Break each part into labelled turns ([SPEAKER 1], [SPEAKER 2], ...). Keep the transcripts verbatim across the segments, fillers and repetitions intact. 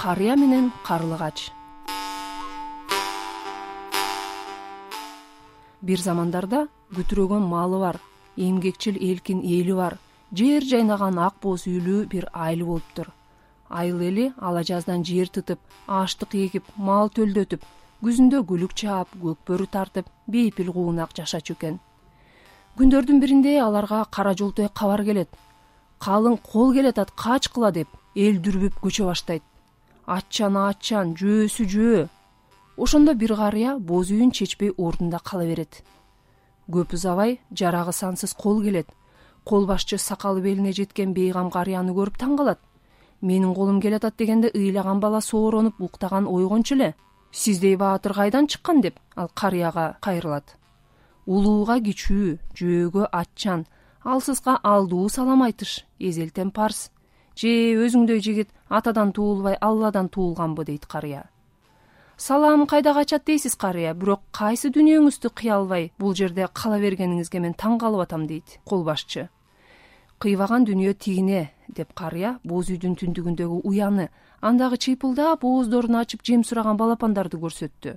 [SPEAKER 1] Карыя менен карлыгач. Бир замандарда күтүрөгөн малы бар, эмгекчил элкин эли бар, жер жайнаган ак боз үйлүү бир айыл болуптур. Айыл эли ала жаздан жер тытып, аштык эгип, мал төлдөтүп, күзүндө күлүк чаап, көкбөрү тартып, бейпил куунак жашачу экен. Күндөрдүн биринде аларга кара жолтой кабар келет. Калың кол келатат, качкыла деп, эл дүрбүп көчө баштайт. Аччан аччан, жөөсү жөө. Ошондо бир карыя боз үйүн чечпей ордунда кала берет. Көп узабай жарагы сансыз кол келет. Кол башчы сакалы белине жеткен бейгам карыяны көрүп таң калат. Менин колум келатат дегенде ыйлаган бала сооронуп уктаган ойгончу эле. Сиздей баатыр кайдан чыккан деп ал карыяга кайрылат. Улууга кичүү, жөөгө аччан, алсызга алдуу салам айтыш, эзелтен парс. Же өзүңдөй жигит атадан туулбай Алладан туулганбы дейт карыя. Салам кайда качат дейсиз карыя, бирок кайсы дүнүйөңүздү кыя албай бул жерде кала бергениңизге мен таң калып атам дейт кол башчы. Кыйбаган дүнүйө тигине деп карыя боз үйдүн түндүгүндөгү уяны, андагы чыйпылдап ооздорун ачып жем сураган балапандарды көрсөттү.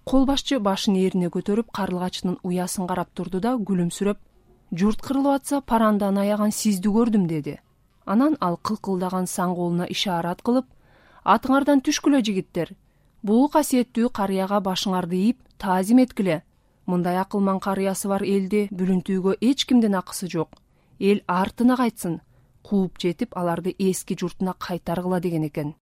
[SPEAKER 1] Кол башчы башын ээрине көтөрүп карлыгачтын уясын карап турду да күлүмсүрөп: "Журт кырылып атса, парандан аяган сизди көрдүм" деди. Анан ал кылкылдаган саң колуна ишарат кылып: "Атыңардан түшкүлө жигиттер. Бул касиеттүү карыяга башыңарды ийип, таазим эткиле. Мындай акылман карыясы бар элди бүлүнтүүгө эч кимдин акысы жок. Эл артына кайтсын, кууп жетип, аларды эски журтуна кайтаргыла" деген экен.